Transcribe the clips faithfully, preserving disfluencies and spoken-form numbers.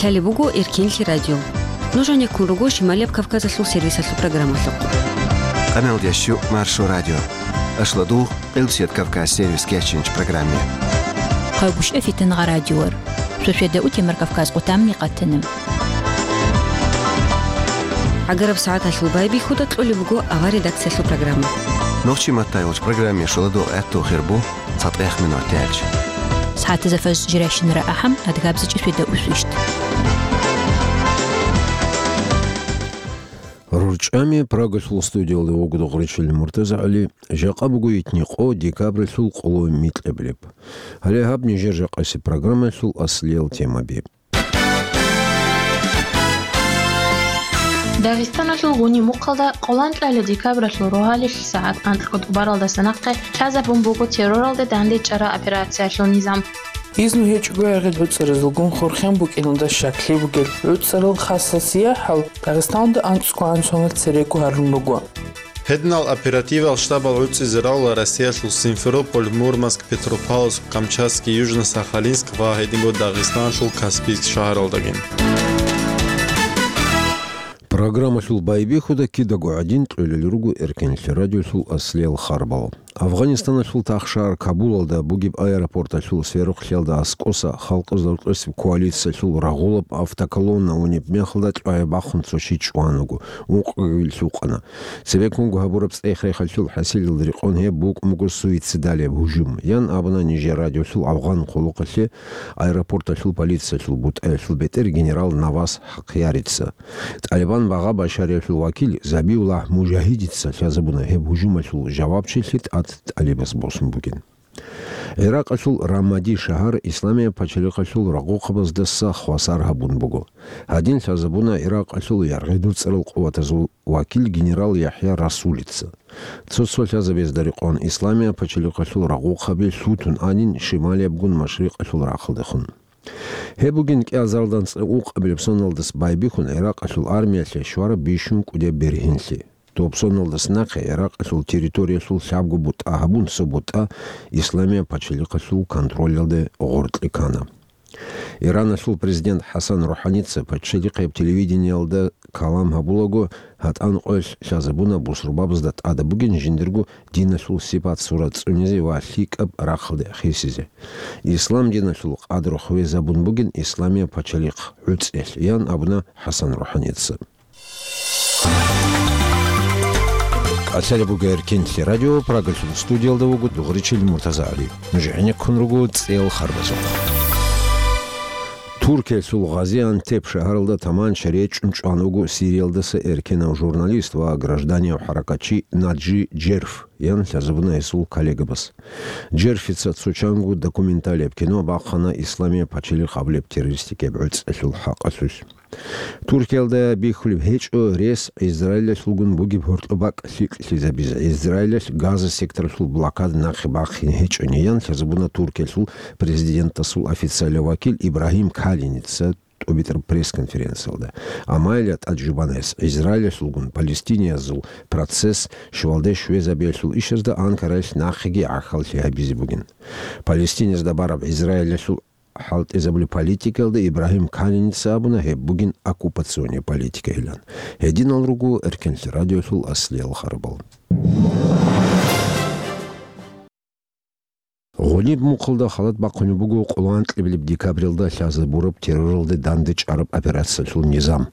Лъалеб буго Эркенлъи радио. Нуж гьанеккун руго Шималияб Кавказалъул сервисалъул программалъухъ. Къаналдящу Маршо радио. Ашладугъ, Къилсият Кавказ сервис кечинч программе. Къагушев Фитангъа радиор. Сосведа утемар Кавказ къутамни къатанам. ГӀагараб сагӀаталъул байбихьуда кьолеб буго авар редакциялъул программа. Нохчи маттайолч программе шуладугъ гӀатту хирбу цатӀех минут тяч. СагӀатазафаз жиращинара ахӀам адгабзичӀи сосведа усвищт. РурчӀами Прагалъул студиялда вуго Дугъричил МуртазагӀали, жакъа буго итни къо декабралъул къоло микьабилеб. Гьале гьаб нижер жакъаси программалъул аслиял темаби. Дагъистаналъул гъуни-мухъалда къолан кьайла декабралъул рогьалилъ сагӀат анкьго тӀубаралдаса нахъе лъазабун буго терроралде дандечӀараб операциялъул низам. Изну гьечӀого гӀергъи гӀуцӀаразулгун хурхен букӀиналда щаклъи бугел гӀуцӀарал хасасияхӀал Дагъистаналда анцӀго гӀан сонал церего гьарун руго. Гьединал оперативал штабал гӀуцӀизе равла Россиялъул Симферополь, Мурманск, Петропавловск, Камчатский, Южно-Сахалинск ва гьединго Дагъистаналъул Каспийск шагьаралдаги. Программалъул байбихьуда кидаго гӀадин кьолел руго Эркенлъи радиолъул аслиял харбал. Афганистаналъул тахшагьар Кабулалда бугеб аэропорталъул сверухълъиялда аскӀоса Халкъ Золотосеб коалициялъул рагъулаб автоколонна унеб мехалда чӀвай бахун цо чи чӀван вуго, ункъгоги лъукъана. Цебеккунго гьабураб цӀех-рехалъул хӀасилалда рекъон гьеб букӀун буго суицидалияб гьужум, ян абуна нижер радиолъул афгъан хъулухъалъе аэропорталъул полициялъул бутӀаялъул бетӀер генерал Навас Хакъярица. ТӀалибан багъа Башариялъул вакил Забиуллагь Мужагьидица лъазабуна гьеб гьужумалъул жавабчилъи тӀад тӀалибас босун бугин. ГӀиракъалъул Рамади шагьар Исламияб пачалихъалъул рагъухъабаздаса хвасар гьабун буго. Гьадин лъазабуна ГӀиракъалъул яргъи-дуцӀарал къуватазул вакил генерал ЯхӀя Расулица. Цо-цо лъазабазда рекъон Исламияб пачалихъалъул рагъухъаби лъутун анин шималиябгун машрикъалъул рахъалдехун. Гьеб бугин кӀиазаралда анцӀила ункъабилеб соналдаса байбихьун ГӀиракъалъул армиялъе щвараб бищун кӀудияб бергьенлъи. Доб соналдаса нахъе ГӀиракъалъул территориялъул лъабго бутӀа гьабун цо бутӀа Исламияб пачалихъалъул контролалде гъоркье ккана. Ираналъул президент ХӀасан РухӀаница пачалихъияб телевидениялда калам гьабулаго, гьатӀан къоялъ лъазабуна бусурбабазда тӀадаб бугин жиндирго диналъул сипат-сурат цӀунизе ва лъикӀаб рахъалде хисизе. Ислам диналъул къадру хвезабун бугин Исламияб пачалихъ гӀуцӀиялъ, ян абуна ХӀасан РухӀаница. Лъалеб буго Эркенлъи радио, Прагалъул студиялда вуго Дугъричил МуртазагӀали. Нуж гӀенеккун руго цӀел харбазухъ. Туркиялъул Газиантеп шагьаралда таманча речӀчӀун чӀван вуго Сириялдаса эркенав журналист ва гражданияв хӀаракатчи Наджи Джерф, ян лъазабуна гьесул коллегабаз. Джерфица цо чанго документалияб кино бахъана Исламияб пачалихъ абулеб террористикияб гӀуцӀиялъул хӀакъалъулъ. Туркиялда бихьулеб гьечӀо рес Израилалъулгун бугеб гьоркьоб бакӀ лъикӀлъизабизе, Израилалъ Газа секторалъул блокада нахъе бахъине гьечӀони, ян лъазабуна Туркиялъул президентасул официалияв вакил Ибрагьим Калиница тӀубитӀараб пресс-конференциялда. Амма гьелда тӀад жубана гьес, Израилалъулгун палестиниязул процесс щвалде щвезабиялъул ишазда Анкараялъ нахъеги гӀахьаллъи гьабизе бугин. Палестиниязда бараб Израилалъул хӀалтӀизабулеб политикаялда Ибрагьим Калиница абуна, гьеб бугин оккупационный политикайилан. Гьединал руго Эркенлъи радиолъул аслиял харбал. Гъуниб мухъалда халат бахъунеб буго къоло анкьабилеб декабралда лъазабураб терроралде дандечӀараб операциялъул низам.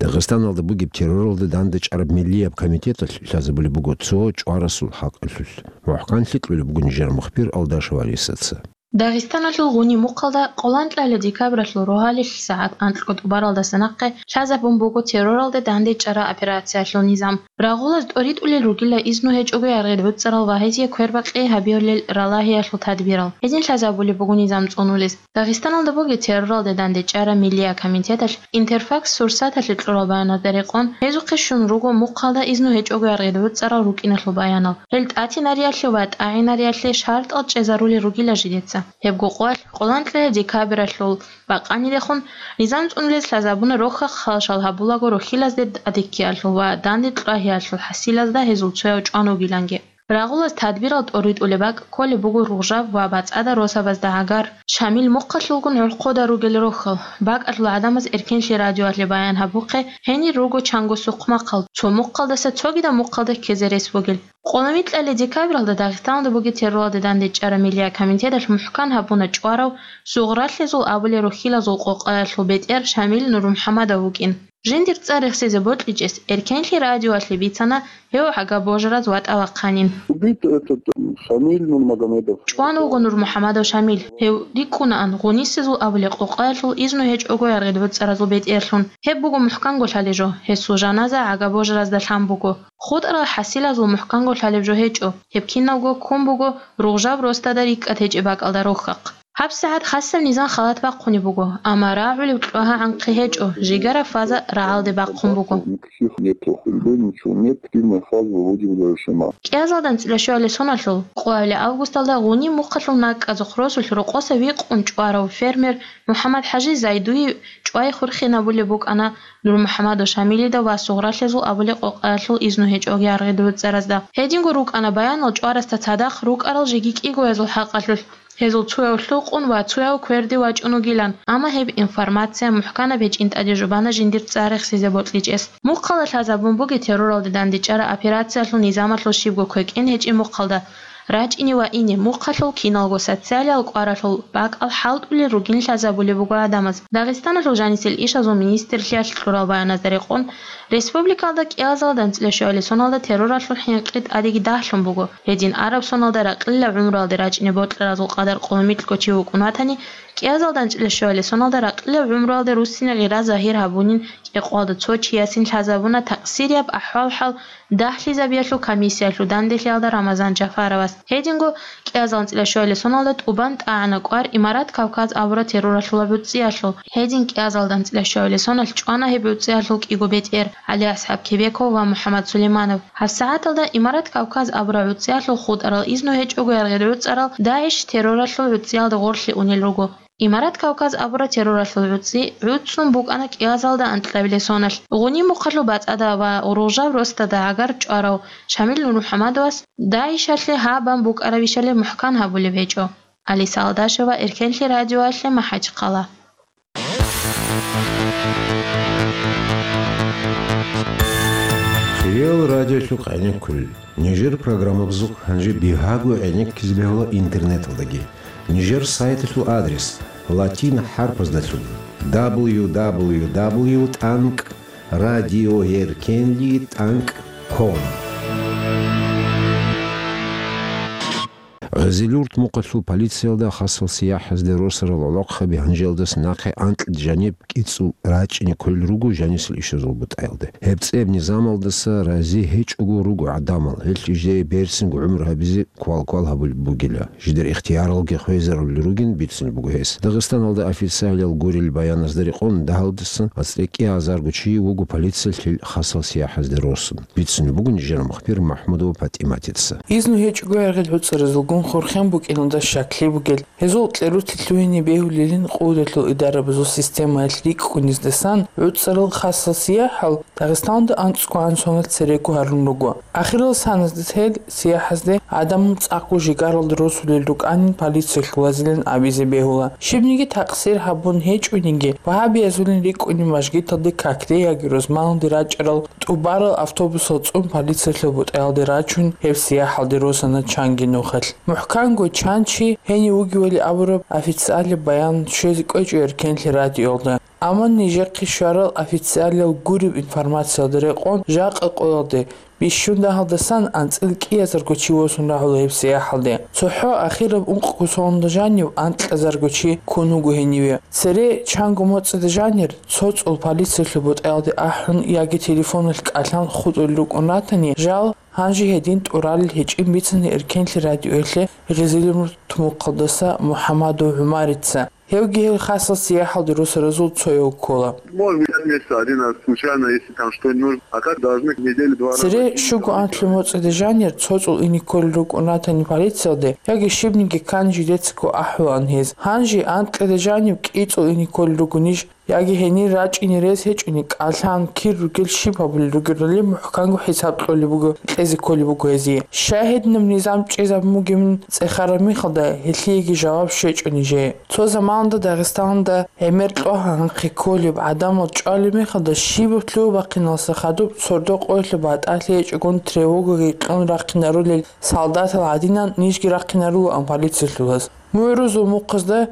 Дагъистаналда бугеб терроралде дандечӀараб миллияб комитеталъ лъазабулеб буго цо чӀварасул хӀакъалъулъ. МухӀканлъи кьолеб буго нижер мухбир Алдашев Алисаца. Дагъистаналъул гъуниб мухъалда къоло анкьабилеб декабралъул рогьалилъ сагӀат анкьго тӀубаралдаса нахъе лъазабун буго терроралде дандечӀараб операциялъул низам. Рагъулаз тӀоритӀулел ругила изну гьечӀого гӀергъи гӀуцӀарал ва гьезие квербакъи гьабиялъул ралагьиялъул тадбирал. Гьедин лъазабулеб буго низам цӀунулес. Дагъистаналда бугеб терроралде дандечӀараб миллияб комитеталъ Интерфакс Сурсаталъе кьураб баяназда рекъон, гьезухъе щун руго мухъалда изну гьечӀого гӀергъи гӀуцӀарал рукӀиналъул баянал. Гьел тӀатинариялъе ва тӀагӀинариялъе шартӀал чӀезарулел ругила жидеца. Гьебго къоялъ, къоло анкьабилеб декабралъул бакъанидехун, низам цӀунулез лъазабуна рохьа-хъалщал гьабулаго рохьилазде тӀадеккиялъул ва дандечӀвагьиялъул хӀасилазда гьезул цояв чӀван вугиланги. Рагъулаз тадбирал тӀоритӀулеб бакӀ кколеб буго Ругъжаб ва БацӀцӀада росабазда гӀагар. Шамил мухъалъулгун гӀурхъуда ругел рохьал. БакӀалъул гӀадамаз Эркенлъи радиоялъе баян гьабухъе, гьенир руго чанго сухъмахъал, цо мухъалдаса цогидаб мухъалда ккезе рес бугел. Къоло микьалъе декабралда Дагъистаналда бугеб терроралде дандечӀараб миллият комитеталъ мухӀкан гьабуна чӀварав, Сугъралъезул абулел рухьилазул къокъаялъул бетӀер Шамил НурмухӀамадов вукӀин. Жиндир цӀар рехсезе бокьичӀес Эркенлъи радиоялъе бицана гьев гӀага-божараз ватӀа вахъанин. Убит этот, м, Шамиль Нурмагомедов. ЧӀван вуго НурмухӀамадов Шамил. Гьев рикӀкӀунаан Гъунисезул абулеб къокъаялъул изну гьечӀого яргъид гӀуцӀаразул бетӀерлъун. Гьеб буго мухӀканго лъалеб жо, гьесул жаназа гӀага-божаразда лъан буго. ХутӀарал хӀасилазул мухӀканго лъалеб жо гьечӀо, гьеб киналго ккун буго Ругъжаб росдада рикӀкӀад гьечӀеб бакӀалда рохьахъ. ГьабсагӀат хасаб низам халат бахъунеб буго, амма рагӀулеб кьвагьа гӀанхъи гьечӀо, жигара фаза рагӀалде бахъун буго. Никаких нету, хулбы ничего нет, активная фаза вроде бы завершена. КӀиазалда анцӀила щуабилеб соналъул къоабилеб августалда Гъуниб мухъалъул НакӀкӀазухъ росулъ рокъоса викъун чӀварав фермер МухӀаммад-ХӀажи Зайдуев чӀвай хурхинабулеб букӀана НурмухӀамадов Шамилида ва Сугъралъезул абулеб къокъаялъул изну гьечӀого яргъид гӀуцӀаразда. Гьединго рукӀана баянал чӀварасда цадахъ рукӀарал жеги кӀигоязул хӀакъалъулъ. Гьезул цояв лъукъун ва цояв кверде вачӀун вугилан, амма гьеб информация мухӀканаб гьечӀин тӀаде жубана жиндир цӀар рехсезе бокьичӀес. Мухъалда лъазабун бугеб терроралде дандечӀараб операциялъул низамалъул щибго квекӀин гьечӀеб мухъалда. РачӀине ва ине мухъалъул киналго социалиял кӀваралъул бакӀал хӀалтӀулел ругин лъазабулеб буго гӀадамаз. Дагъистаналъул жанисел ишазул министрлъиялъ кьурал баяназда рекъон, республикалда кӀиазалда анцӀила щуабилеб соналда терроралъул хӀинкъи тӀадеги дагьлъун буго. Гьедин араб соналда ракьилал гӀумруялде рачӀине бокьаразул къадар къоло микьго чи вукӀун ватани, кӀиазалда анцӀила щуабилеб соналда ракьилал гӀумруялде руссине гъира загьир гьабунин кӀикъоялда цо чиясин лъазабуна такъсирияб ахӀвал-хӀал дагьлъизабиялъул комиссиялъул данделъиялда Рамазан Жафаровас. Гьединго кӀиазалда анцӀила щуабилеб соналда тӀубан тӀагӀана кӀвар Имарат Кавказ абураб терроралъул гӀуцӀиялъул. Гьедин кӀиазалда анцӀила щуабилеб соналъ чӀвана гьеб гӀуцӀиялъул кӀиго бетӀер ГӀали-АсхӀаб Кебеков ва МухӀаммад Сулейманов. ГьабсагӀаталда Имарат Кавказ абураб гӀуцӀиялъул хутӀарал изну гьечӀого яргъид гӀуцӀарал ДАИШ терроралъул гӀуцӀиялде гъорлъе унел руго. Имарат Кавказ абураб терроралъул гӀуцӀи гӀуцӀун букӀана кӀиазалда анцӀабилеб соналъ. Гъуниб мухъалъул БацӀцӀада ва Ругъжаб росдада гӀагар чӀварав Шамил Нурмухьамадовас ДАИШалъе гьаб бан букӀарабищали мухӀкан гьабулеб гьечӀо. Алиса Алдашева, Эркенлъи радиоялъе, МахӀачхъала. Хириял радиолъухъ гӀенеккулел. Нижер программабазухъ гьанже бигьаго гӀенеккизе бегьула интернеталдаги. Нижер сайталъул адрес латин хӀарпаздалъун: дабл ю дабл ю дабл ю тӀанкӀ радиоэркенли тӀанкӀ ком. Гъезилюрт мухъалъул полициялда хасал сияхӀазде росарал гӀолохъаби гьанжелдаса нахъе анкьида жаниб кӀицӀул рачӀине кколел руго жанисел ишазул бутӀаялде. Гьеб цӀеб низамалдаса рази гьечӀого руго гӀадамал, гьелъ жидее берцинго гӀумру гьабизе квал-квал гьабулеб бугила. Жидер ихтияралги хвезарулел ругин бицунеб буго гьес. Дагъистаналда официалиял гурел баяназда рекъон, дагьалдасан анцӀила кӀиазарго чи вуго полициялъул хасал сияхӀазде росун. Бицунеб буго нижер мухбир МахӀмудова ПатӀиматица. Изну гьечӀого яргъил гӀуцӀаразулгун хурхен букӀиналда щаклъи бугел, гьезул кьерутел лъугьине бегьулелин къуваталъул идарабазул системаялъ рикӀкӀуниздасан гӀуцӀарал хасал сияхӀал Дагъистаналда анцӀго гӀан соналъ церего гьарун руго. Ахирал саназда тел сияхӀазде гӀадамал цӀакъго жигаралда росулел рукӀанин полициялъулазилан абизе бегьула. Щибниги такъсир гьабун гьечӀониги, вагьабиязулин рикӀкӀунин мажгиталде какде яги рузманалде рачӀарал тӀубарал автобусал цӀун полициялъул бутӀаялде рачун гьеб сияхӀалде росана чанги нухалъ. МухӀканго чан чи гьенив вугевали абураб официалияб баян щвезе кӀвечӀо Эркенлъи радиоялда. Амма нижехъе щварал официалиял гуреб информациялда рекъон, жакъа къоялде, бищун дагьалдасан анцӀила кӀиазарго чи восун рагӀула гьеб сияхӀалде. ЦохӀо ахираб ункъго соналда жанив анкьазарго чи ккун вуго гьениве. Цере чанго моцӀида жанир цо цӀул полициялъул бутӀаялде ахӀун яги телефоналъ кӀалъан хутӀулел рукӀун ратани, жал гьанже гьедин тӀуралел гьечӀин бицана Эркенлъи радиоялъе Гъезилюрт мухъалдаса МухӀамадов ГӀумарица. Гьевги гьел хасал сияхӀалде росаразул цояв ккола. Может быть, я месяца один раз случайно, если там что-нибудь нужно. А так должны в неделю два раза. Цере щуго анлъи моцӀида жанир цо цӀул ине кколел рукӀун ратани полициялде, яги щибниги ккани жидецаго ахӀулаан гьез. Гьанже анкьида жанив кӀицӀул ине кколел руго ниж яги гьенир рачӀине рес гьечӀони, кӀалъан кир ругел щиб гьабулел ругелали мухӀканго хӀисаб кьолеб буго, кьезе кколеб буго гьезие. Щай гьединаб низам чӀезабун бугебин цӀехараб мехалда, гьелъиеги жаваб щвечӀо нижее. Цо заманалда Дагъистаналда гӀемер кьогьа гьанхъе кколеб, гӀадамал чӀвалеб мехалда щибаб лъугьа-бахъиналъа хадуб сордо къоялъа батӀалъи гьечӀогун тревогаги кьун рахъинарулел солдатал гӀадинан нижги рахъинарулаан полициялъулаз. МугӀрузул мухъазда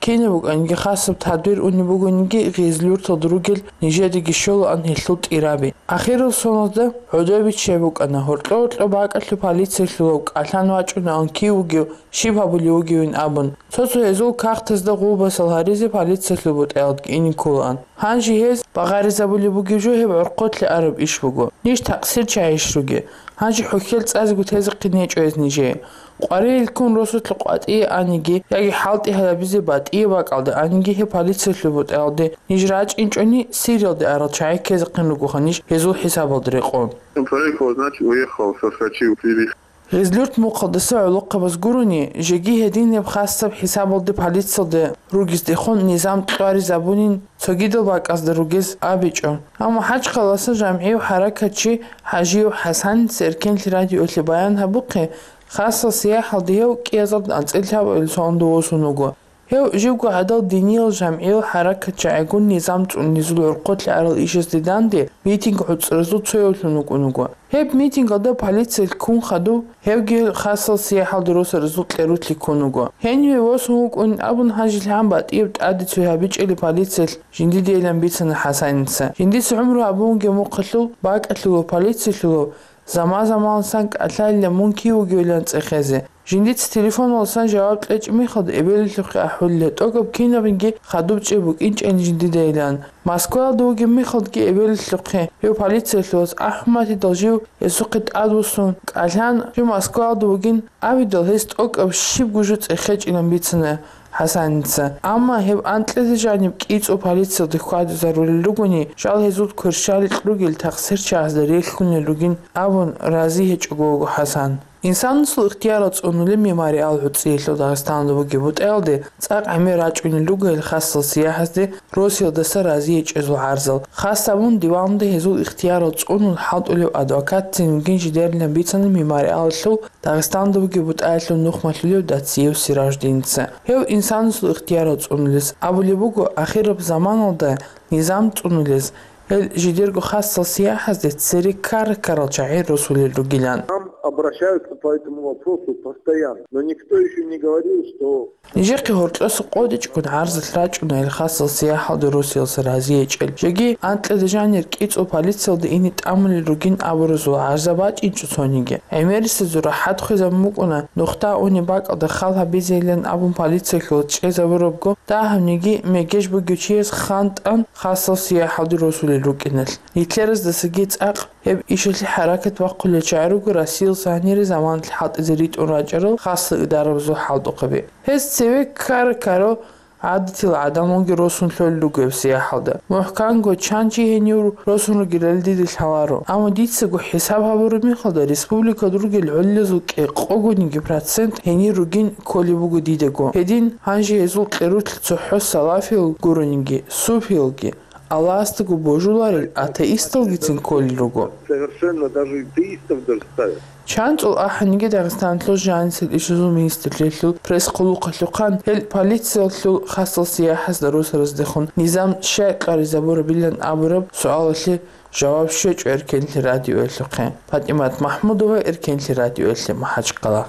кинаб букӀаниги, хасаб тадбир унеб бугониги, Гъизлюрталда ругел нижедаги щолаан гьелъул тӀираби. Ахирал соналда гӀодобиччай букӀана, гьоркьо-гьоркьо бакӀалъув полициялъулав кӀалъан вачӀунаан кив вугев, щиб гьабулев вугевин абун. Цо-цо гьезул кагътазда гъулбасал гьаризе полициялъул бутӀаялдги ине кколаан. Гьанже гьез багъаризабулеб бугеб жо гьеб гӀорхъолъе араб иш буго. Ниж такъсирчагӀищ ругел? Гьанже хӀухьел цӀазего тезехъин гьечӀо гьез нижее. Къварилъун росулъ къватӀие аниги, яги хӀалтӀи гьабизе батӀие бакӀалде аниги, гьеб полициялъул бутӀаялде ниж рачӀинчӀони, Сириялде арал чагӀи ккезехъин ругоха ниж гьезул хӀисабалда рекъон. Он проехал, значит, уехал, соскочил с телеги. Гъизлюрт мухъалдаса гӀолохъабаз гурони, жеги гьедин гьеб хасаб хӀисабалде полициялда ругездехун низам кьваризабунин цогидал бакӀазда ругез абичӀо. Амма ХӀачкъаласа жамгӀияв хӀаракатчи ХӀажиев ХӀасаница Эркенлъи радиоялъе баян гьабухъе, хасал сияхӀалде гьев кӀиазда анцӀила лъабабилеб соналда восун вуго. Гьев живго гӀадал диниял жамгӀиял хӀаракатчагӀигун низам цӀунизул гӀорхъолъе арал ишазде данде митинг гӀуцӀразул цоявлъун вукӀун вуго. Гьеб митингалда полициялъ ккун хадуб, гьевги хасал сияхӀалде росаразул кьерулъи ккун вуго. Гьениве восун вукӀунин абун, гьанжелъ гьан батӀияб тӀаде цой гьабичӀели полициялъ жиндидейилан бицана ХӀасаница. Жиндица гӀумру гьабун вугеб мухъалъул бакӀалъулав полициялъулав заман-заманалсан кӀалъайилан мун кив вугевилан цӀехезе. Жиндица телефоналдасан жаваб кьечӀеб мехалда эбелалъухъе ахӀулила, тӀокӀаб кинабниги хадуб чӀей букӀинчӀани жиндидайилан. Москваялда вугеб мехалдаги эбелалъухъе гьев полициялъулас АхӀматидал жив гьесухъе тӀадвуссун, кӀалъан жив Москваялда вугин абидал, гьес тӀокӀаб щибго жо цӀехечӀилан бицана ХӀасаница. Амма гьеб анкьизе жаниб кӀицӀул полициялде хьвадизарулел ругони, жал гьезул кверщаликь ругел такъсирчагӀазда релълъунел ругин абун рази гьечӀого вуго ХӀасан. Инсанасул ихтиярал цӀунулеб мемориал гӀуцӀиялъул Дагъистаналда бугеб бутӀаялде цӀакъ гӀемер рачӀунел руго гьел хасал сияхӀазде Россиялдаса рази гьечӀезул гӀарзал. Хас абун диванде гьезул ихтиярал цӀунун хӀалтӀулев адвокатцин вугин жидерилан бицана мемориалалъул Дагъистаналда бугеб бутӀаялъул нухмалъулев Дациев Сираждиница. Гьев инсанасул ихтиярал цӀунулес абулеб буго, ахираб заманалда низам цӀунулес, гьел жидерго хасал сияхӀазде цере ккара-ккарал чагӀи росулел ругилан. Нам обращаются по этому вопросу постоянно, но никто ещё не говорил, что Нижехъе гьоркьоса къотӀичӀгун гӀарзалъ рачӀуна гьел хасал сияхӀалде Россиялдаса рази гьечӀел. Жеги анкьизе жанир кӀицӀул полициялде ине тӀамулел ругин абуразул гӀарза бачӀинчӀо цониги. ГӀемерисезул рахӀат хвезабун букӀуна, нухда унеб бакӀалда хал гьабизейилан абун полициялъулаз чӀезабурабго, дагьабниги мегеж бугев чияс хантӀан хасал сияхӀалде росулел рукӀиналъ. Гитлераздасаги цӀакъ гьеб ишалъе хӀаракат бахъулел чагӀи руго Россиялдаса гьанире заманалъ хӀалтӀизе ритӀун рачӀарал хасал идарабазул хӀалтӀухъаби. Гьез цеве ккара-ккарал гӀадатил гӀадамалги росун лъолел руго гьеб сияхӀалда. МухӀканго чан чи гьенив росун ругелали дида лъаларо. Амма дицаго хӀисаб гьабураб мехалда, республикалда ругел гӀолилазул кӀикъогониги процент гьенир ругин кколеб буго дидаго. Гьедин, гьанже гьезул кьерулъ цохӀо салафиял гурониги, суфиялги, Аллагьасдаго божуларел атеисталгицин кколел руго. Совершенно даже атеистов даже ставят. ЧанцӀул ахӀаниги, Дагъистаналъул жанисел ишазул министрлъиялъул пресс-хъулухъалъухъан гьел полициялъул хасал сияхӀазда росараздехун низам щай кьваризабурабилан абураб суалалъе жаваб щвечӀо Эркенлъи радиоялъухъе. ПатӀимат МахӀмудова, Эркенлъи радиоялъе, МахӀачкъала.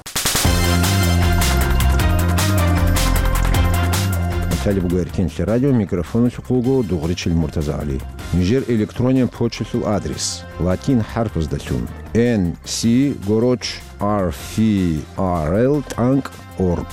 Италия буго Эркенлъи радио, микрофоналъухъ вуго Дугъричил МуртазагӀали. Нижер электронен почталъул адрес: латин хӀарпаздалъун, N C гороч R F R L тӀанкӀ org.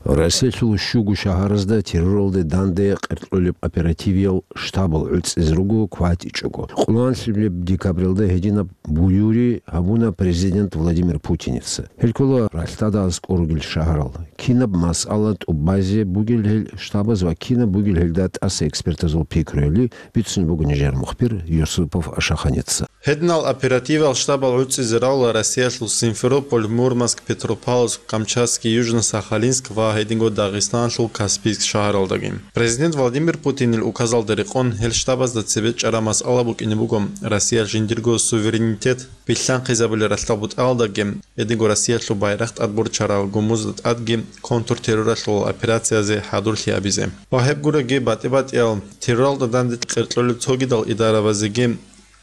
Россиялъул щуго шагьаразда терроралде данде къеркьулеб оперативиял штабал гӀуцӀизе руго кватӀичӀого. Къоло нилъ декабралда гьединаб буюри гьабуна президент Владимир Путиница. Гьел ккола ралъдада аскӀор ругел шагьарал. Кинаб масъала тӀубазе бугел гьел штабаз ва кинаб бугел гьелда тӀаса экспертазул пикруяли, бицунеб буго нижер мухбир Юсупов Ашаханица. Гьединал оперативал штабал гӀуцӀизе равла Россиялъул Симферополь, Мурманск, Петропавловск, Камчатский, Южно-Сахалинск ва гьединго Дагъистаналъул Каспийск шагьаралдаги. Президент Владимир Путинил указалда рекъон гьел штабазда цебе чӀараб масъала букӀине буго Россиялъ жиндирго суверенитет билълъанхъизабулел ралъдал бутӀаялдаги, гьединго Россиялъул байрахъ тӀадборчарал гумузда тӀадги контртерроралъул операциязе хӀадурлъи гьабизе. Ва гьеб гуроги батӀи-батӀиял терроралда данде къеркьолел цогидал идарабазеги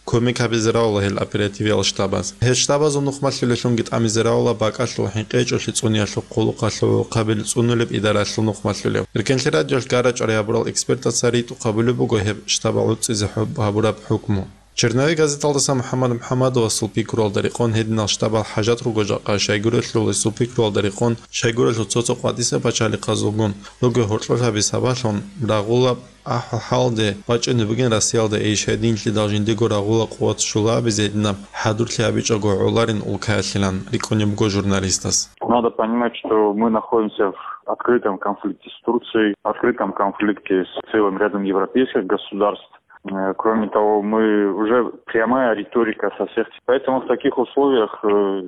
кумек гьабизе равла гьел оперативиял штабаз. Гьел штабазул нухмалъулелъунги тӀамизе равла бакӀалъул хӀинкъичӀолъи цӀуниялъул хъулухъалъул гӀурхъабил цӀунулеб идаралъул нухмалъулев. Эркенлъи радиолъ гара-чӀвари гьабурал экспертаца ритӀухъ гьабулеб буго гьеб штабал гӀуцӀизе хӀуб-, гьабураб хӀукму. Черновик газеталдаса МухӀаммад МухӀаммадовасул пикруялда рекъон гьединал штабал хӀажат руго жакъа, щайгурелъул гьесул пикруялда рекъон, щайгурелъул цо-цо къватӀиса пачалихъазулгун руго гьоркьор гьабиз сабаблъун рагъула ахӀвал-хӀалде бачӀунеб бугин Россиялда иш, гьединлъидал жиндиего рагъула къуват щула абизе гьединаб хӀадурлъи гьабичӀого гӀоларин улкаялъилан рикӀкӀунеб буго журналистас. Надо понимать, что мы находимся в открытом конфликте с Турцией, открытом конфликте с целым рядом европейских государств. Э, кроме того, мы уже прямая риторика со всех. Поэтому в таких условиях, э,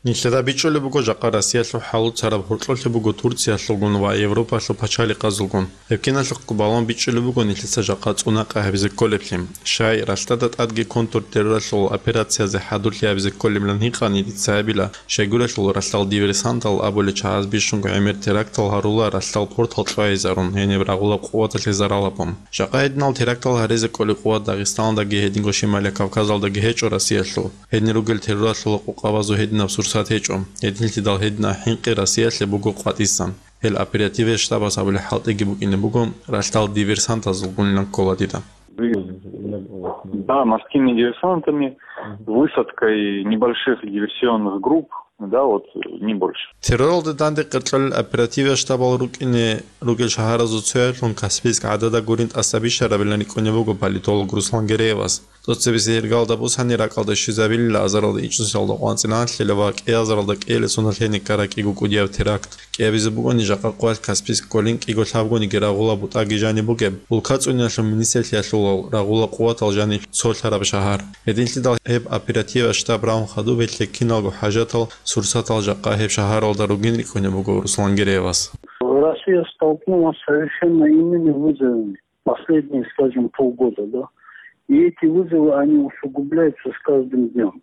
Нилъеда бичӀчӀулеб буго жакъа Россиялъул хӀалуцараб гьоркьорлъи буго Турциялъулгун ва Европалъул пачалихъазулгун. Гьеб киналъухъго балун бичӀчӀулеб буго нилъеца жакъа цӀунакъа гьабизе кколеблъи. Щай, ралъдада тӀадги контртерроралъул операциязе хӀадурлъи гьабизе кколеблъан гьикъани дица гьабила, щайгурелъул ралъдал диверсантал абулел чагӀаз бищунго гӀемер терактал гьарула ралъдал портал чӀвайизарун гьениб рагъула къуваталъе зарал гьабун. Жакъа гьединал терактал гьаризе кколеб къуват Дагъистаналдаги гьединго Шималияб Кавказалдаги гьечӀо Россиялъул. Гьедин ругел терроралъула къокъабазул гьединаб сурсат гьечӀо. Гьединлъидал гьединаб хӀинкъи Россиялъе буго къватӀисан. Гьел оперативе штабас абулеб хӀалтӀиги букӀине буго, ралъдал диверсантазулгунилан ккола дида. Да, морскими диверсантами, высадкой небольших диверсионных групп, да, вот, не больше. Терроралда данде къеркьолел оперативе штабал рукӀине ругел шагьаразул цоялъун Каспийск гӀадада гурин тӀаса бищарабилан рикӀкӀунеб буго политолог Руслан Гереевас. ТӀоцебесеб иргалда бусани ракӀалда щвезабилила азаралда ичӀнусиялда къванцӀилан лъела ва кӀиазаралда кӀиялесуналъе никкараб кӀиго кӀудияб теракт. КӀиабизе бугони жакъа къоялъ Каспийск кколин кӀиго лъабгониги рагъула бутӀаги жаниб бугеб, улка цӀунилалъул министрлъиялъулал рагъула къуватал жанив цолъараб шагьар. Гьединлъидал гьеб оперативе штаб рагьун хадуб гьелъе киналго хӀажатал, сурсатал жакъа гьеб шагьаралда ругин рикӀкӀунеб буго Руслан Гереевас. Россия столкнулась с совершенно иными вызовами последние, скажем, полгода, да. И эти вызовы, они усугубляются с каждым днём.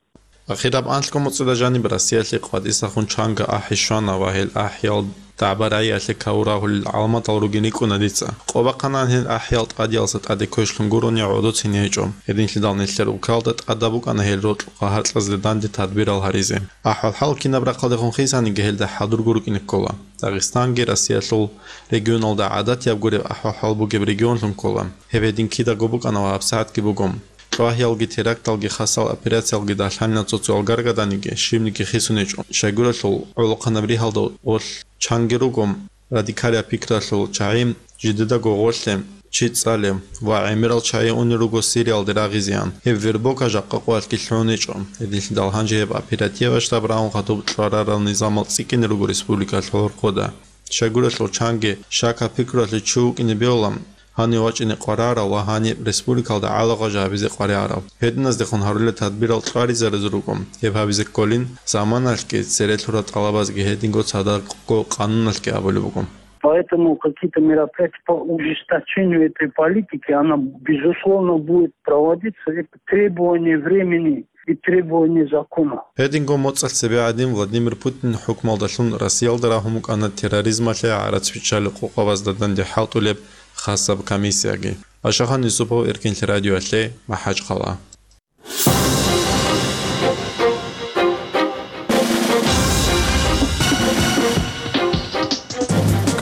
Ахираб анлъго моцӀида жаниб Россиялъе къватӀисахун чанго ахӀи щвана ва гьел ахӀиял дагӀба-рагӀиялъе каву рагьулел гӀаламатал ругин рикӀкӀуна дица. Къо бахъанани гьел ахӀиял тӀадиялдаса тӀаде квешлъун гурони гӀодоцин гьечӀо. Гьединлъидал нилъер улкалда тӀадаб букӀана гьел рокьукъа гьаркьазда данде тадбирал гьаризе. АхӀвал-хӀал кинаб рахъалдехун хисаниги гьелда хӀадурго рукӀине ккола. Дагъистанги Россиялъул регионалда гӀадатияб гуреб ахӀвал-хӀал бугеб регионлъун ккола. Гьеб гьедин кидаго букӀана ва гьабсагӀатги буго. Кьвагьиялги теракталги хасал операциялги дагьлъанила цо-цоял гаргаданиги, щибниги хисун гьечӀо. Щайгурелъул гӀолохъанаб ригьалда гъорлъ чанги руго радикалияб пикралъул чагӀи, жидедаго гъорлъе чи цӀалев ва гӀемерал чагӀи унел руго Сириялде рагъизеян. Гьеб вербовка жакъа къоялъги лъугӀун гьечӀо. Гьединлъидал гьанже гьеб оперативаб штаб рагьун хадуб кьварарал низамал цӀикӀкӀине руго республикалъул гъоркьода. Щайгурелъул чанги шакаб пикруялъе чи вукӀине бегьула, гьанив вачӀине къварарав ва гьаниб республикалда гӀалагъваж гьабизе къваригӀарав. Гьединаздехун гьарулел тадбирал кьваризаризе руго, гьеб гьабизе кколин заманалъги цере лъурал тӀалабазги гьединго цадахъго къануналъги абулеб буго. Поэтому какие-то мероприятия по ужесточению этой политики, она, безусловно, будет проводиться. Это требование времени и требование закона. Гьединго моцӀалъ цебе гӀадин Владимир Путин хӀукмалдалъун Россиялда рагьун букӀана терроризмалъе гӀарац биччалел къокъабазда данде хӀалтӀулеб хасаб комиссияги. Ашахан Юсупов, Эркенлъи радиоялъе, МахӀачхъала.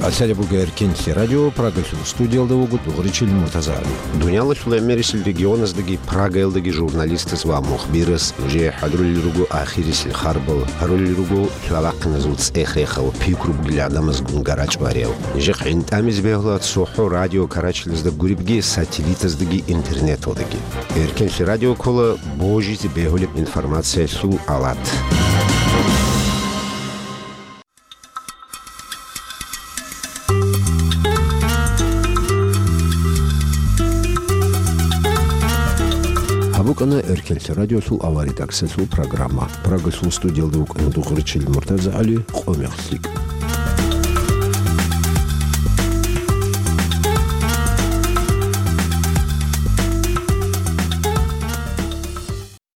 КӀалъалеб буго Эркенлъи радио, Прагалъул студиялда вуго Дугъричил Муртазагьли. Дуниялалъул гӀемерисел регионаздаги Прагаялдаги журналистаз ва мухбираз нужее хӀадурулел руго ахирисел харбал, гьарулел руго лъалахъиназул цӀех-рехал, пикру бугел гӀадамазгун гара-чӀвариял. Нижехъ гӀинтӀамизе бегьула цохӀо радио Карачилазда гуребги, сателлитаздаги интернеталдаги. Эркенлъи радио ккола божизе бегьулеб информациялъул алат. БукӀана Эркенлъи радиолъул авария таксалъул программа. Прагалъул студиялда вукӀана Дугъричил МуртазагӀали, къо-мех лъикӀ.